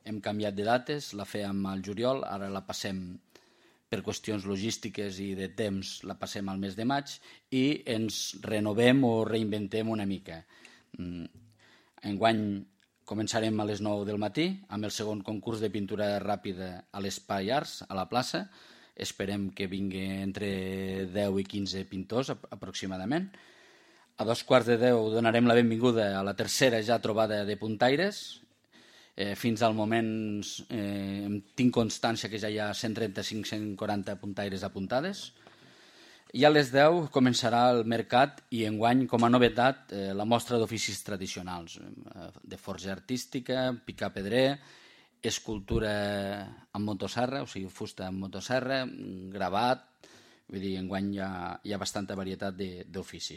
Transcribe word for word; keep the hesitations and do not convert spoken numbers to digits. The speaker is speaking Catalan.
hem canviat de dates, la fèiem al juliol, ara la passem per qüestions logístiques i de temps, la passem al mes de maig i ens renovem o reinventem una mica. Enguany començarem a les nou del matí amb el segon concurs de pintura ràpida a l'Espai Arts, a la plaça. Esperem que vingui entre deu i quinze pintors aproximadament. A dos quarts de deu donarem la benvinguda a la tercera ja trobada de puntaires. Eh, fins al moment eh, tinc constància que ja hi ha cent trenta-cinc a cent quaranta puntaires apuntades. I a les deu començarà el mercat i enguany, com a novetat, eh, la mostra d'oficis tradicionals, eh, de forja artística, picar pedrer, escultura amb motosserra, o sigui, fusta amb motosserra, gravat, vull dir, enguany hi ha, hi ha bastanta varietat d'oficis.